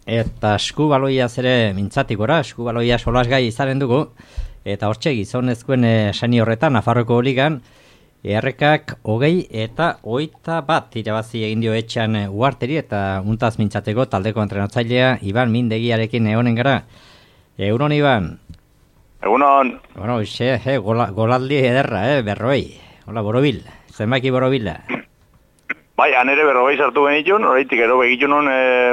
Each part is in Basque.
eta eskubaloiaz ere mintzatik gora, eskubaloia solasgai izanen dugu, eta hortxe gizonezkoen seni horretan, Nafarroko ligan, Errekak 20 eta 21 irabazi egin dio etxean Uharteri eta untaz mintzateko taldeko entrenatzailea Iban Mindegiarekin egonen gara. Egunon, Iban? Egunon. Bueno, golaldi ederra, berroi. Hola, borobil. Zenbaki borobila. Bai, anere berroi sartu genitun, horreitik ero begitun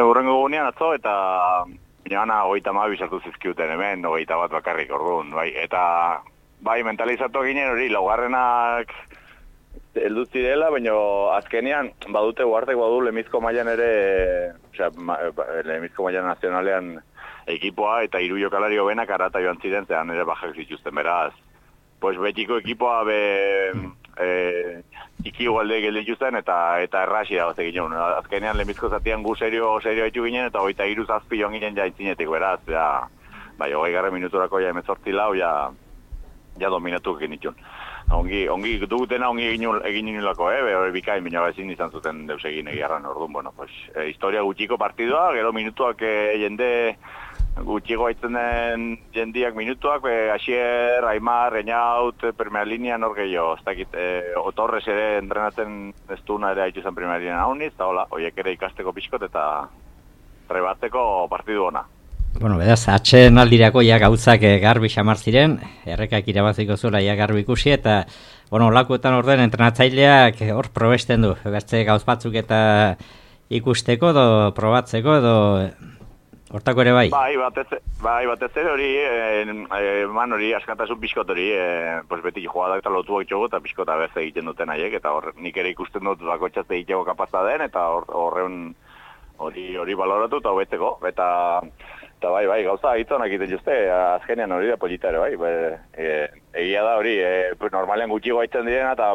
urrengo gunean atzo, eta gana 32 sartu zizkiuten hemen, 21 bakarrik orduan, bai. Eta bai, mentalizatu ginen hori, laugarrenak heldu zirela, baina azkenean badute Uhartek badu lemizko mailan ere, osea, lemizko mailan nazionalean ekipoa eta 3 jokalari hobenak arata joan ziren, zean ere bajak zituzten beraz. Pues betiko ekipoa iki igualde gelituzten eta errasi da ginen. Azkenean lemizko zatian gu serio haitu ginen eta 23 zazpi joan ginen jaitzinetik beraz, ja, bai, 20 minuturako ja 18 lau, ja dominatu genitun. Ongi dugutena ongi egin inulako, bikain, baina ezin izan zuten deus egin egiarran orduan, bueno, pues, historia gutxiko partidua, gero minutuak jende gutxiko haitzen den jendiak minutuak, Asier, Aimar, Reñaut, primera linea nor gehiago, ez dakit, Otorres ere entrenatzen ez duna ere haitu zen primera linea hauniz, eta hola, horiek ere ikasteko pixkot eta rebatzeko partidu ona. Bueno, bedaz, atxen aldirako ja gauzak garbi xamar ziren, Errekak irabaziko zuela ja garbi ikusi, eta, bueno, lakuetan orden entrenatzaileak hor probesten du, bertze gauz batzuk eta ikusteko edo probatzeko edo hortako ere bai? Bai, batez ere hori, eman hori askatasun pixkot hori, pues beti joadak eta lotuak itxogu eta pixkota beze egiten duten haiek, eta nik ere ikusten dut bakotxazte egiteko kapazta den, eta horren hori baloratu eta hobetzeko, eta bai, gauza hitzonak egiten juzte, azkenean hori da polita ere, bai. Egia da hori, normalean gutxi gaitzen direna, eta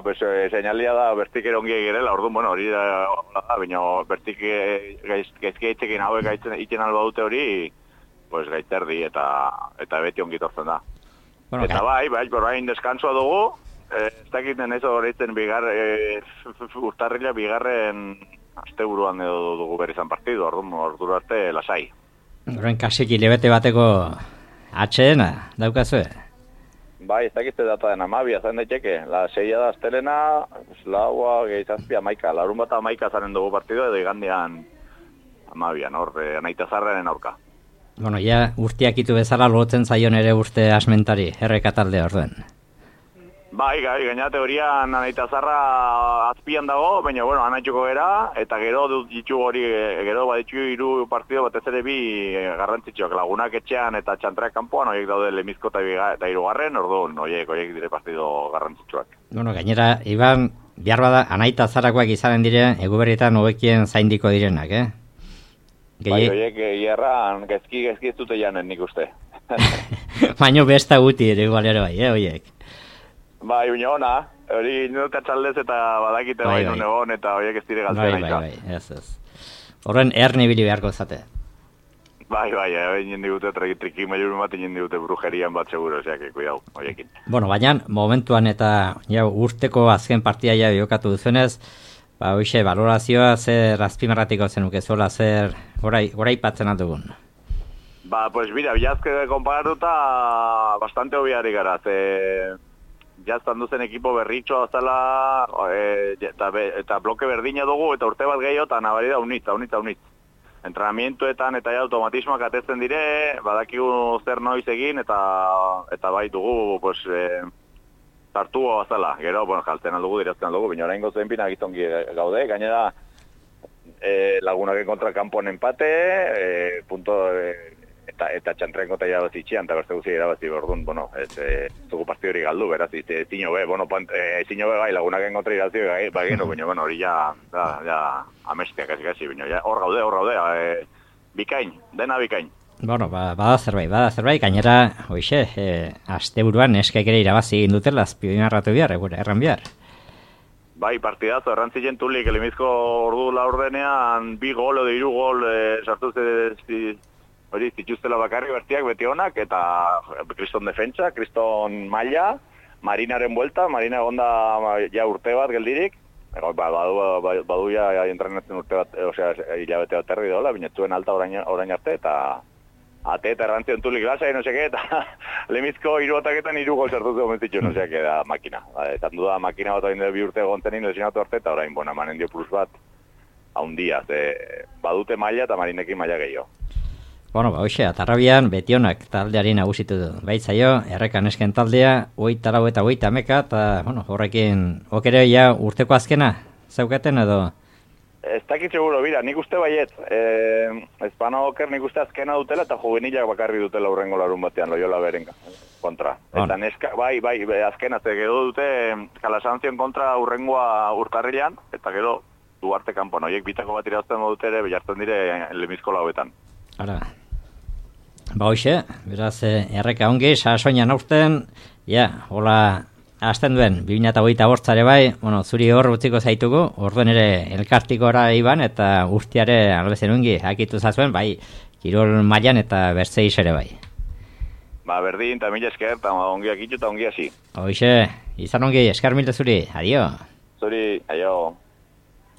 seinalia da bertik erongi egirela, orduan, bueno, hori da, baina bertik gaizki gaitzekin hauek gaitzen alba dute hori, pues gaitzerdi eta beti ongi tortzen da. Bueno, eta bai, orain deskansoa dugu, ez dakiten ez horretzen urtarrila bigarren asteburuan edo dugu berizan partidu, ordu arte lasai. Horren kasik hilebete bateko atxeena, daukazue? Bai, ez dakizte data den 12, zain daiteke. La 6 da astelena, laua, gehizazpia, 11. Larun bat 11 zaren dugu partidu edo igandean 12, hor, anaita zarraren aurka. Bueno, ja urteak itu bezala lotzen zaion ere urte asmentari, Erreka talde orduen. Bai, gaina teorian anaita zarra azpian dago, baina, bueno, anaitxuko gera, eta gero ditu hori, gero baditu 3 partido batez ere bi garrantzitsuak, Lagunak etxean eta Txantreak kanpoan, horiek daude Lemizko eta 3. orduan, horiek dire partido garrantzitsuak. Bueno, gainera, Iban, behar bada, anaita zarrakoak izanen dire, eguberrietan hobekien zaindiko direnak, Bai, horiek hierran gezki ez dute janen nik uste. Baina besta guti ere igualero bai, horiek. Bai, baina ona, hori nuka txaldez eta badakite bai nun egon eta horiek ez dire galtzen aita. Bai, ez. Horren erne bili beharko zate. Bai, egin digute triki mailur bat egin digute brujerian bat seguro, oseak, kuidau, horiekin. Bueno, baina momentuan eta urteko azken partia ja jokatu duzuenez, hoxe, valorazioa zer azpimarratiko zenuke zola, zer goraipatzen aldugun? Pues mira, bilazke konparatuta bastante hobiari gara, jaztan duzen ekipo berritxoa zela eta bloke berdina dugu eta urte bat gehiago eta nabari da unitz. Entrenamientuetan eta automatismoak atetzen dire, badakigu zer noiz egin eta bai dugu pues, tartua bazala. Gero, bueno, jaltzen aldugu, dirazten aldugu, baina orain gozen pina gizongi gaude, gainera Lagunak kontra kanpon empate, punto... Eta Txantrenko eta irabazi itxian, eta beste guzti irabazi bordun, bueno, ez dugu partidu hori galdu, beraz, ezin hobe, bai, Lagunaken kontra irabazi bagenu, baina, hori ja amestiak kasi, baina, hor gaude, bikain, dena bikain. Bueno, bada zerbait, gainera, hoxe, asteburuan eskaik ere irabazi egin dutela, azpimarratu behar, erran behar. Bai, partidazo, errantzilen tulik, Lemizko ordu laurdenean, 2 gol edo 3 gol sartu hori zituztela bakarri bertiak beti honak, eta Kriston defentsa, Kriston maila, Marinaren buelta, Marina egonda ja urte bat geldirik, Badu ja entrenatzen urte bat, hilabete bat erdi dola, binetzuen alta orain arte, eta ate eta errantzen tulik lasa, no seke, eta lemizko hiruataketan 3 gol sartu zuen zituen, no seke, da makina. Etan du da makina bat oinde 2 urte gontenin lesionatu arte, eta orain, manen dio plus bat, haundia, badute maila eta marinekin maila gehiago. Hoxe, atarrabian betionak taldeari nagusitu du. Baitzaio, errekan esken taldea, 24 eta 30 eta, horrekin, okere ja urteko azkena, zeukaten edo? Ez dakit seguro, bira, nik uste baiet. Espano oker nik uste azkena dutela eta juvenilak bakarri dutela urrengo larun batean, Loyola beren kontra. Eta neska, bai, azkena, gero dute Kalasanzion kontra urrengoa urtarrilean, eta gero Duarte kanpon, horiek bitako bat irazten dute ere, behartzen dire lemizko lauetan. Ara. Hoxe, beraz, erreka ongi, sasoinan aurten, hola, hasten duen, 2025 bai, zuri hor utziko zaitugu, orduen ere elkartikora iban, eta urtiare albezen ongi, hakitu zazuen, bai, kirol mailan eta bertzeiz ere bai. Berdin, eta mila esker, eta ongi akitu eta ongi hasi. Hoxe, izan ongi, esker milte zuri, adio. Zuri, aio.